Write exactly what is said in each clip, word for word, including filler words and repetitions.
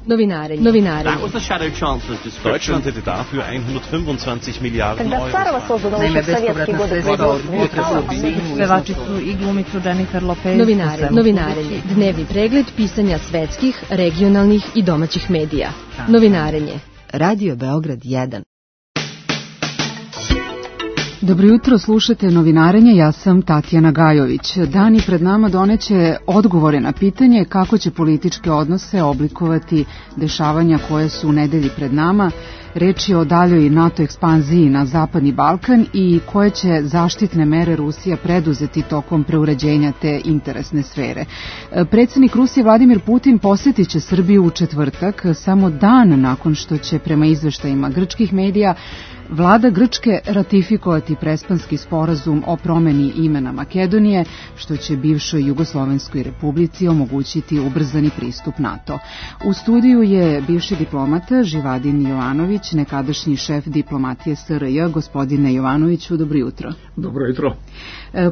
Novinarenje. Novinarenje. That was the Shadow Chancellor's description. Deutschland hätte dafür hundertfünfundzwanzig Milliarden Euro. Naime, bespovratna sredstva od potresa pevačicu i glumicu Jennifer Lopez. Novinarenje. Novinarenje. Dnevni pregled pisanja svetskih, regionalnih i domaćih medija. Novinarenje. Radio Beograd jedan. Dobro jutro, slušate Novinarenje, ja sam Tatjana Gajović. Dani pred nama doneće odgovore na pitanje kako će političke odnose oblikovati dešavanja koje su u nedelji pred nama. Reč je o daljoj NATO ekspanziji na Zapadni Balkan i koje će zaštitne mere Rusija preduzeti tokom preuređenja te interesne sfere. Predsjednik Rusije Vladimir Putin posjetit će Srbiju u četvrtak, samo dan nakon što će prema izveštajima grčkih medija Vlada Grčke ratifikovati Prespanski sporazum o promeni imena Makedonije, što će bivšoj Jugoslovenskoj republici omogućiti ubrzani pristup NATO. U studiju je bivši diplomata Živadin Jovanović, nekadašnji šef diplomatije S R J. Gospodine Jovanoviću, dobro jutro. Dobro jutro.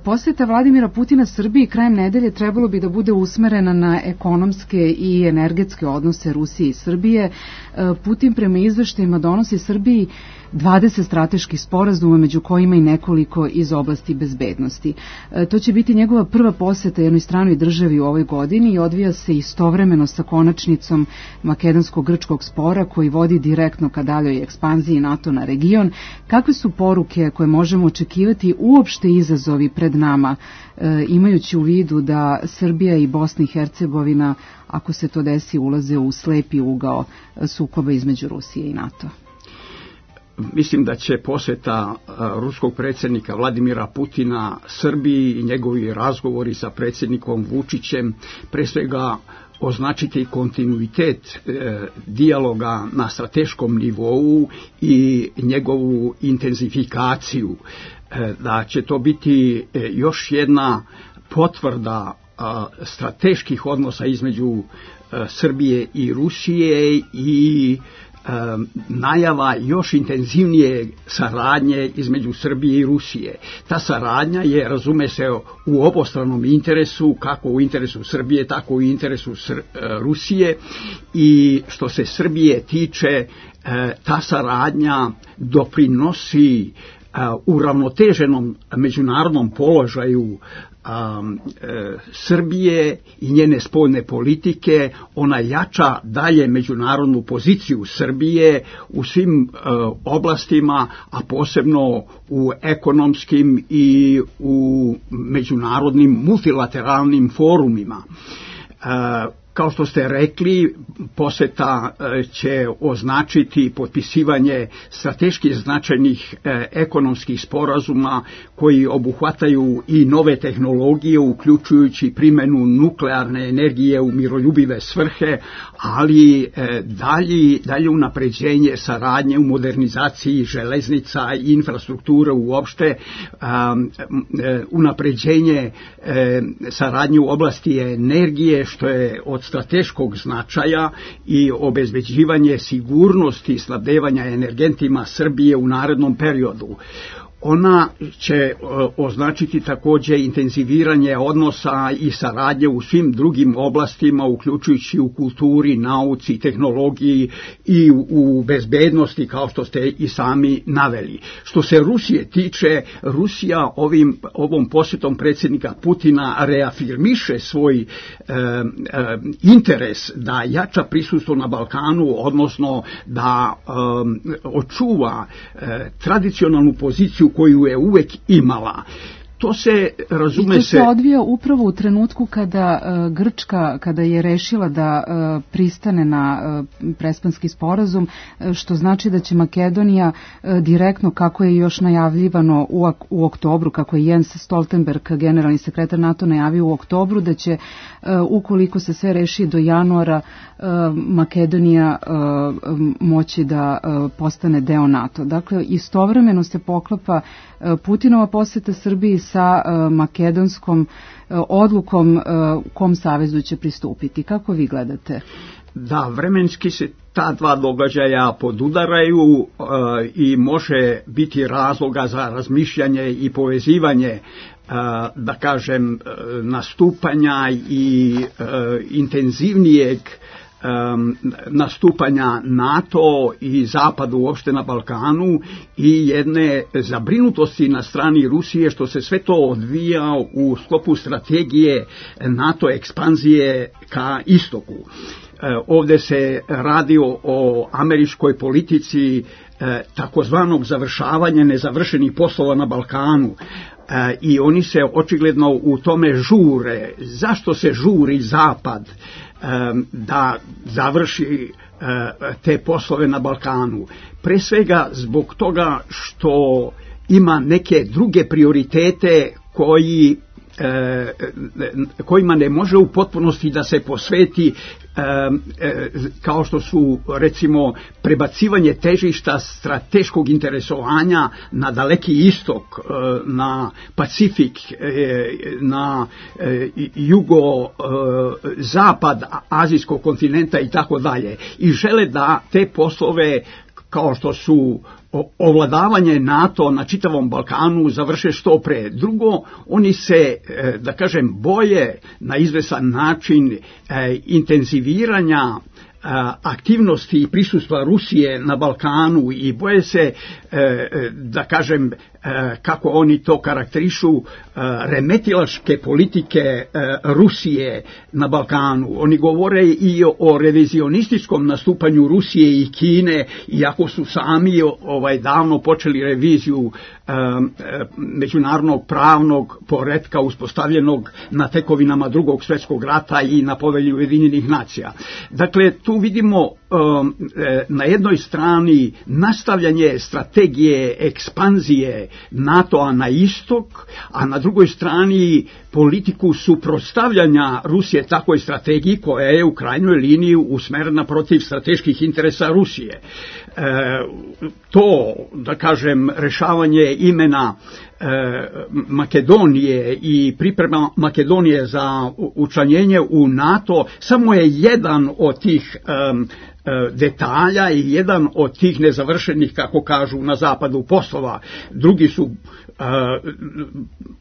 Posjeta Vladimira Putina Srbiji krajem nedelje trebalo bi da bude usmerena na ekonomske i energetske odnose Rusije i Srbije. Putin prema izveštajima donosi Srbiji dvadeset strateških sporazuma, među kojima i nekoliko iz oblasti bezbednosti. To će biti njegova prva posjeta jednoj stranoj državi u ovoj godini i odvija se istovremeno sa konačnicom makedonsko-grčkog spora koji vodi direktno ka daljoj ekspanziji NATO na region. Kakve su poruke koje možemo očekivati, uopšte izazovi pred nama, imajući u vidu da Srbija i Bosna i Hercegovina, ako se to desi, ulaze u slepi ugao sukoba između Rusije i NATO? Mislim da će posjeta ruskog predsjednika Vladimira Putina Srbiji i njegovi razgovori sa predsjednikom Vučićem pre svega označiti kontinuitet e, dijaloga na strateškom nivou i njegovu intenzifikaciju. E, da će to biti e, još jedna potvrda a, strateških odnosa između a, Srbije i Rusije i najava još intenzivnije saradnje između Srbije i Rusije. Ta saradnja je, razume se, u obostranom interesu, kako u interesu Srbije, tako u interesu Sr- Rusije, i što se Srbije tiče, ta saradnja doprinosi uravnoteženom međunarodnom položaju Um, e, Srbije i njene spoljne politike. Ona jača dalje međunarodnu poziciju Srbije u svim e, oblastima, a posebno u ekonomskim i u međunarodnim multilateralnim forumima. E, Kao što ste rekli, posjeta će označiti potpisivanje strateški značajnih ekonomskih sporazuma koji obuhvataju i nove tehnologije, uključujući primjenu nuklearne energije u miroljubive svrhe, ali dalje, dalje unapređenje saradnje u modernizaciji železnica i infrastrukture uopšte, unapređenje saradnje u oblasti energije, što je od strateškog značaja, i obezbeđivanje sigurnosti i snabdevanja energentima Srbije u narednom periodu. Ona će označiti također intenziviranje odnosa i saradnje u svim drugim oblastima, uključujući u kulturi, nauci, tehnologiji i u bezbednosti, kao što ste i sami naveli. Što se Rusije tiče, Rusija ovim, ovom posjetom predsjednika Putina reafirmiše svoj e, e, interes da jača prisustvo na Balkanu, odnosno da e, očuva e, tradicionalnu poziciju koju je uvek imala. To se, razume I to se, se odvija upravo u trenutku kada uh, Grčka, kada je rešila da uh, pristane na uh, Prespanski sporazum, uh, što znači da će Makedonija uh, direktno, kako je još najavljivano u, u oktobru, kako je Jens Stoltenberg, generalni sekretar NATO, najavio u oktobru, da će, uh, ukoliko se sve reši do januara, uh, Makedonija uh, moći da uh, postane deo NATO. Dakle, istovremeno se poklapa uh, Putinova posjeta Srbiji sa uh, makedonskom uh, odlukom uh, kom savezu će pristupiti. Kako vi gledate? Da, vremenski se ta dva događaja podudaraju uh, i može biti razloga za razmišljanje i povezivanje, uh, da kažem, uh, nastupanja i uh, intenzivnijeg nastupanja NATO i Zapadu uopšte na Balkanu i jedne zabrinutosti na strani Rusije što se sve to odvija u sklopu strategije NATO ekspanzije ka istoku. Ovdje se radi o američkoj politici takozvanog završavanja nezavršenih poslova na Balkanu. I oni se očigledno u tome žure. Zašto se žuri Zapad da završi te poslove na Balkanu? Pre svega zbog toga što ima neke druge prioritete koji kojima ne može u potpunosti da se posveti, kao što su recimo prebacivanje težišta strateškog interesovanja na Daleki istok, na Pacifik, na jugo-zapad azijskog kontinenta i tako dalje. I žele da te poslove kao što su ovladavanje NATO na čitavom Balkanu završe što pre. Drugo, oni se, da kažem, boje na izvesan način intenziviranja aktivnosti i prisustva Rusije na Balkanu i boje se, da kažem, kako oni to karakterišu, remetilačke politike Rusije na Balkanu. Oni govore i o revizionističkom nastupanju Rusije i Kine, iako su sami ovaj, davno počeli reviziju međunarodnog pravnog poretka uspostavljenog na tekovinama Drugog svjetskog rata i na Povelji Ujedinjenih nacija. Dakle, tu vidimo na jednoj strani nastavljanje strategije ekspanzije NATO-a na istok, a na drugoj strani politiku suprotstavljanja Rusije takvoj strategiji koja je u krajnjoj liniji usmerena protiv strateških interesa Rusije. E, to, da kažem, rešavanje imena e, Makedonije i priprema Makedonije za učlanjenje u NATO samo je jedan od tih um, detalja i jedan od tih nezavršenih, kako kažu na zapadu, poslova. Drugi su uh,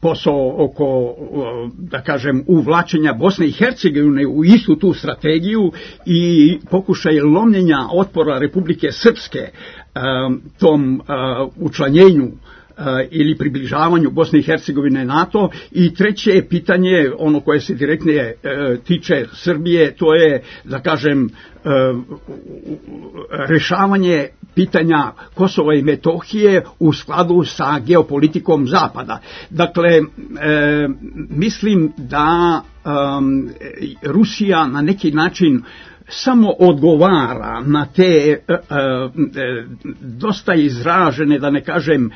posao oko, uh, da kažem, uvlačenja Bosne i Hercegovine u istu tu strategiju i pokušaj lomljenja otpora Republike Srpske um, tom uh, učlanjenju ili približavanju Bosne i Hercegovine NATO. I treće pitanje, ono koje se direktnije e, tiče Srbije, to je, da kažem, e, rešavanje pitanja Kosova i Metohije u skladu sa geopolitikom Zapada. Dakle, e, mislim da e, Rusija na neki način samo odgovara na te e, e, dosta izražene, da ne kažem, e,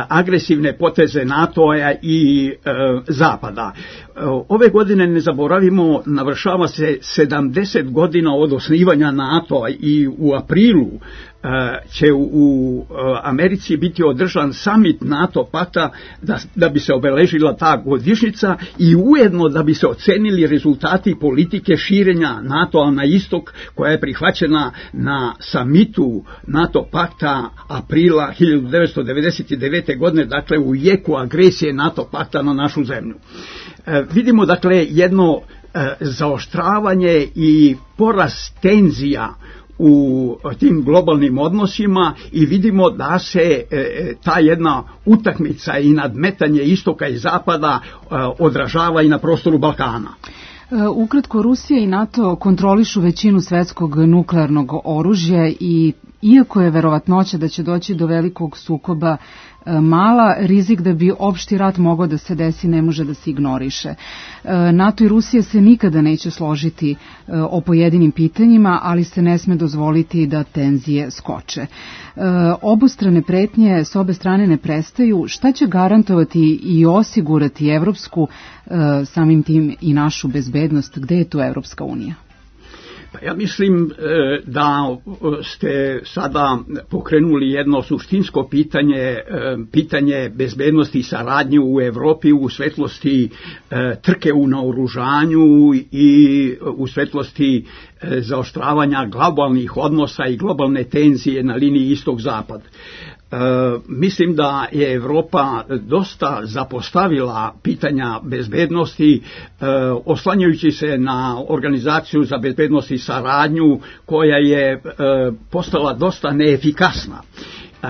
agresivne poteze NATO-a i e, Zapada. E, ove godine, ne zaboravimo, navršava se sedamdeset godina od osnivanja NATO-a i u aprilu će u Americi biti održan summit NATO pakta da, da bi se obeležila ta godišnjica i ujedno da bi se ocenili rezultati politike širenja NATO-a na istok koja je prihvaćena na summitu NATO pakta aprila hiljadu devetsto devedeset devete. godine, dakle u jeku agresije NATO pakta na našu zemlju. E, vidimo dakle jedno e, zaoštravanje i porast tenzija u tim globalnim odnosima i vidimo da se e, ta jedna utakmica i nadmetanje istoka i zapada e, odražava i na prostoru Balkana. Ukratko, Rusija i NATO kontrolišu većinu svetskog nuklearnog oružja i iako je verovatnoća da će doći do velikog sukoba mala, rizik da bi opšti rat mogao da se desi ne može da se ignoriše. NATO i Rusija se nikada neće složiti o pojedinim pitanjima, ali se ne sme dozvoliti da tenzije skoče. Obostrane pretnje s obe strane ne prestaju. Šta će garantovati i osigurati evropsku, samim tim i našu bezbednost? Gde je tu Evropska unija? Pa ja mislim da ste sada pokrenuli jedno suštinsko pitanje, pitanje bezbednosti i saradnje u Evropi u svetlosti trke u naoružanju i u svetlosti zaoštravanja globalnih odnosa i globalne tenzije na liniji istok-zapad. E, mislim da je Evropa dosta zapostavila pitanja bezbednosti, e, oslanjajući se na Organizaciju za bezbednost i saradnju koja je e, postala dosta neefikasna. E,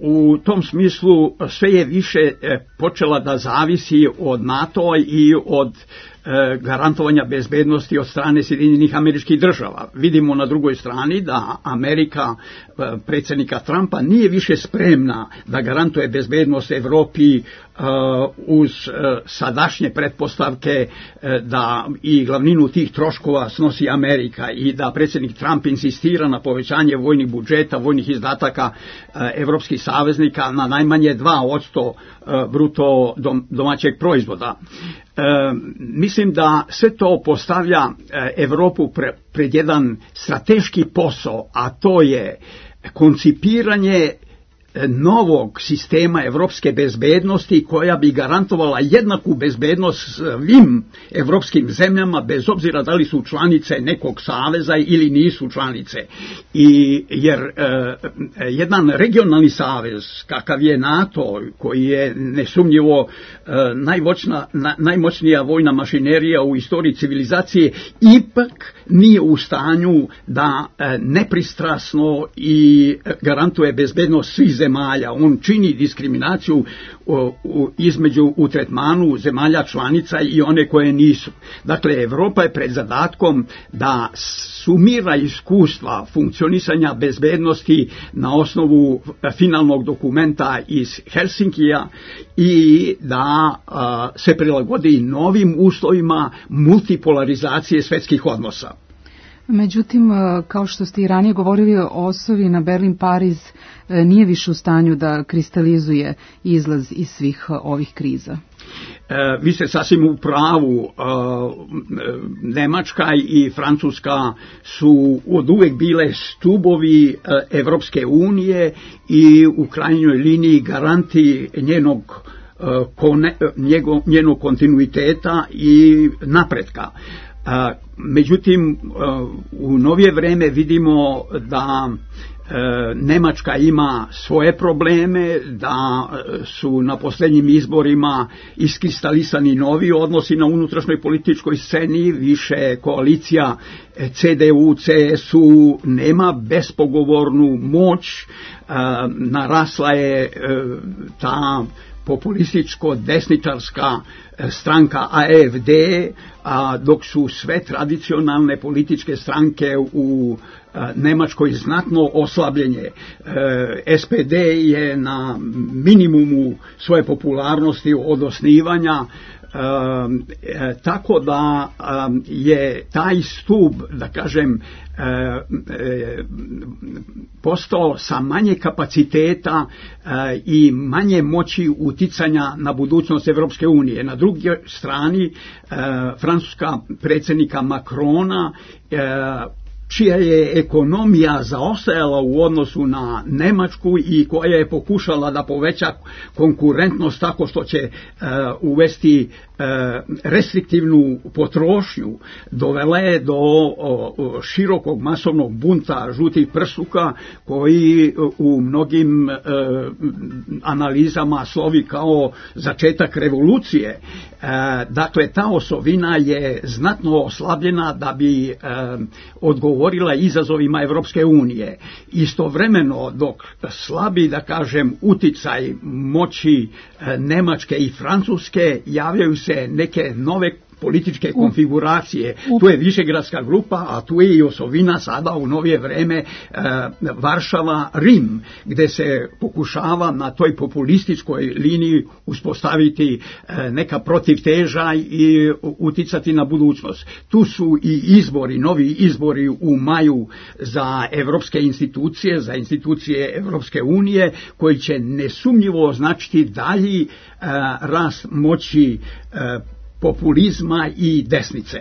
u tom smislu sve je više počela da zavisi od NATO i od garantovanja bezbednosti od strane Sjedinjenih Američkih Država. Vidimo na drugoj strani da Amerika predsjednika Trumpa nije više spremna da garantuje bezbednost Evropi uz sadašnje pretpostavke da i glavninu tih troškova snosi Amerika i da predsjednik Trump insistira na povećanje vojnih budžeta, vojnih izdataka evropskih saveznika na najmanje dva posto bruto domaćeg proizvoda. E, mislim da sve to postavlja Evropu pre, pred jedan strateški posao, a to je koncipiranje novog sistema evropske bezbednosti koja bi garantovala jednaku bezbednost svim evropskim zemljama bez obzira da li su članice nekog saveza ili nisu članice. I jer e, jedan regionalni savez kakav je NATO, koji je nesumnjivo e, najmoćna, na, najmoćnija vojna mašinerija u istoriji civilizacije, ipak nije u stanju da e, nepristrasno i garantuje bezbednost svih zemalja. On čini diskriminaciju u, u, između u tretmanu zemalja članica i one koje nisu. Dakle, Evropa je pred zadatkom da sumira iskustva funkcionisanja bezbednosti na osnovu finalnog dokumenta iz Helsinkija i da a, se prilagodi novim uslovima multipolarizacije svjetskih odnosa. Međutim, kao što ste i ranije govorili, osovi na Berlin-Pariz nije više u stanju da kristalizuje izlaz iz svih ovih kriza. E, vi ste sasvim u pravu. E, Nemačka i Francuska su od uvek bile stubovi e, Evropske unije i u krajnjoj liniji garanti njenog, e, kone, njego, njenog kontinuiteta i napretka. Međutim, u novije vreme vidimo da Nemačka ima svoje probleme, da su na posljednjim izborima iskristalisani novi odnosi na unutrašnjoj političkoj sceni, više koalicija C D U C S U nema bespogovornu moć, narasla je ta populističko-desničarska stranka A F D, a dok su sve tradicionalne političke stranke u Nemačkoj znatno oslabljenje. S P D je na minimumu svoje popularnosti od osnivanja, e, tako da je taj stup, da kažem, e, e, postao sa manje kapaciteta e, i manje moći uticanja na budućnost Evropske unije. Na drugoj strani e, francuska predsjednika Macrona, e, čija je ekonomija zaostajala u odnosu na Nemačku i koja je pokušala da poveća konkurentnost tako što će uh, uvesti uh, restriktivnu potrošnju, dovela je do uh, širokog masovnog bunta žutih prsuka koji uh, u mnogim uh, analizama slovi kao začetak revolucije. Uh, dakle, ta osovina je znatno oslabljena da bi uh, odgovorila govorila izazovima Evropske unije. Istovremeno, dok slabi, da kažem, uticaj moći Nemačke i Francuske, javljaju se neke nove političke konfiguracije. Tu je Višegradska grupa, a tu je i osovina sada u novije vreme e, Varšava, Rim, gde se pokušava na toj populističkoj liniji uspostaviti e, neka protivteža i uticati na budućnost. Tu su i izbori, novi izbori u maju za evropske institucije, za institucije Evropske unije, koji će nesumnjivo označiti dalji e, rast moći e, populizma i desnice.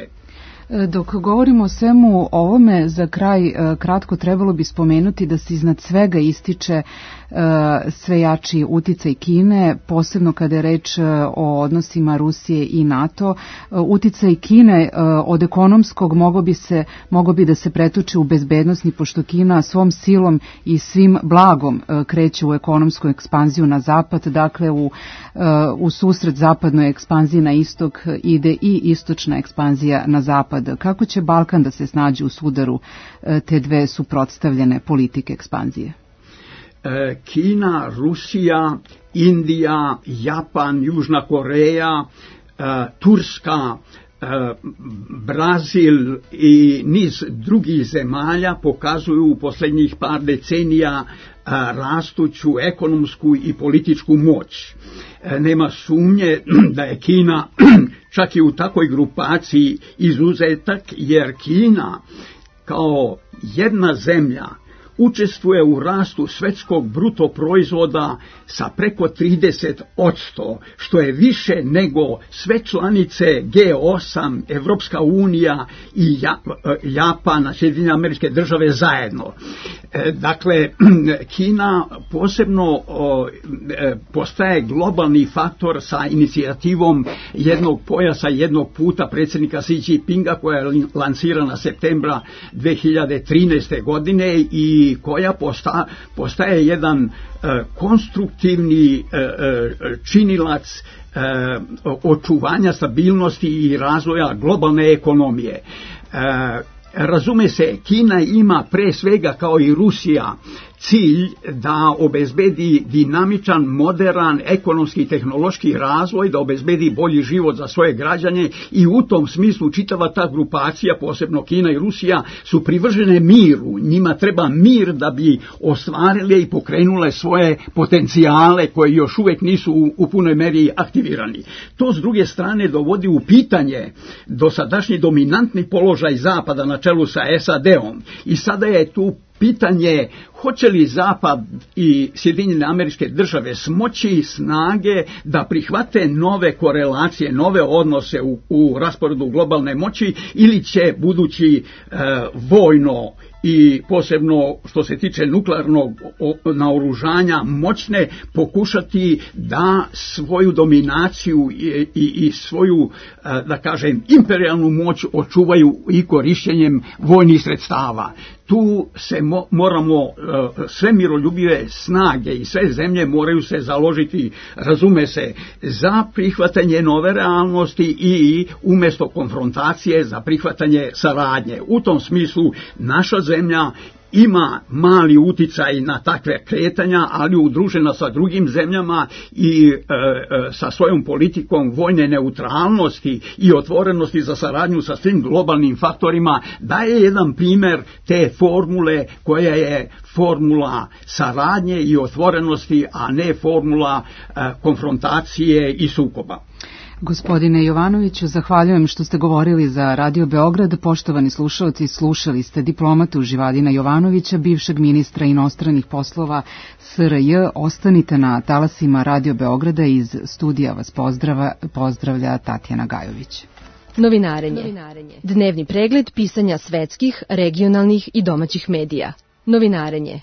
Dok govorimo o svemu ovome, za kraj kratko trebalo bi spomenuti da se iznad svega ističe sve jači uticaj Kine, posebno kada je reč o odnosima Rusije i NATO. Uticaj Kine od ekonomskog mogo bi, se, mogo bi da se pretoči u bezbednosni, pošto Kina svom silom i svim blagom kreće u ekonomsku ekspanziju na zapad, dakle u, u susret zapadnoj ekspanziji na istok ide i istočna ekspanzija na zapad. Kako će Balkan da se snađe u sudaru te dve suprotstavljene politike ekspanzije? Kina, Rusija, Indija, Japan, Južna Koreja, Turska, Brazil i niz drugih zemalja pokazuju u posljednjih par decenija rastuću ekonomsku i političku moć. Nema sumnje da je Kina čak i u takvoj grupaciji izuzetak, jer Kina kao jedna zemlja učestvuje u rastu svjetskog bruto proizvoda sa preko trideset posto, što je više nego sve članice G osam, Evropska unija i Japan, Sjedinjene Američke Države zajedno. Dakle, Kina posebno postaje globalni faktor sa inicijativom jednog pojasa, jednog puta predsjednika Xi Jinpinga, koja je lansirana septembra dve hiljade trinaeste. godine i koja posta, postaje jedan e, konstruktivni e, e, činilac e, očuvanja stabilnosti i razvoja globalne ekonomije. E, razume se, Kina ima pre svega kao i Rusija cilj da obezbedi dinamičan, moderan, ekonomski i tehnološki razvoj, da obezbedi bolji život za svoje građane i u tom smislu čitava ta grupacija, posebno Kina i Rusija, su privržene miru. Njima treba mir da bi ostvarile i pokrenule svoje potencijale koje još uvijek nisu u, u punoj meri aktivirani. To s druge strane dovodi u pitanje dosadašnji dominantni položaj Zapada na čelu sa S A D-om i sada je tu pitanje hoće li Zapad i Sjedinjene Američke Države smoći snage da prihvate nove korelacije, nove odnose u, u rasporedu globalne moći, ili će budući e, vojno i posebno što se tiče nuklearnog naoružanja moćne pokušati da svoju dominaciju i, i, i svoju, da kažem, imperijalnu moć očuvaju i korištenjem vojnih sredstava. Tu se mo, moramo, sve miroljubive snage i sve zemlje moraju se založiti, razume se, za prihvatanje nove realnosti i umjesto konfrontacije za prihvatanje saradnje. U tom smislu naša zemlja ima mali uticaj na takve kretanja, ali udružena sa drugim zemljama i e, e, sa svojom politikom vojne neutralnosti i otvorenosti za saradnju sa svim globalnim faktorima daje jedan primjer te formule koja je formula saradnje i otvorenosti, a ne formula e, konfrontacije i sukoba. Gospodine Jovanoviću, zahvaljujem što ste govorili za Radio Beograd. Poštovani slušalci, slušali ste diplomatu Živadina Jovanovića, bivšeg ministra inostranih poslova S R J. Ostanite na talasima Radio Beograda, iz studija vas pozdrava, pozdravlja Tatjana Gajović. Novinarenje. Novinarenje. Dnevni pregled pisanja svetskih, regionalnih i domaćih medija. Novinarenje.